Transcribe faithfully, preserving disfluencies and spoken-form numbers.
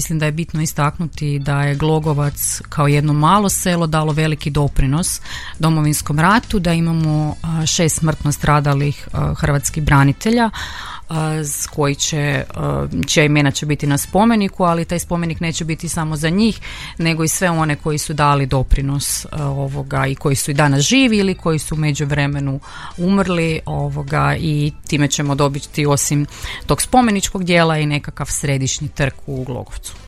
mislim da je bitno istaknuti da je Glogovac kao jedno malo selo dalo veliki doprinos Domovinskom ratu, da imamo šest smrtno stradalih hrvatskih branitelja koji će, čija imena će biti na spomeniku, ali taj spomenik neće biti samo za njih, nego i sve one koji su dali doprinos ovoga i koji su i danas živi ili koji su u međuvremenu umrli ovoga, i time ćemo dobiti osim tog spomeničkog dijela i nekakav središnji trg u Glogovcu.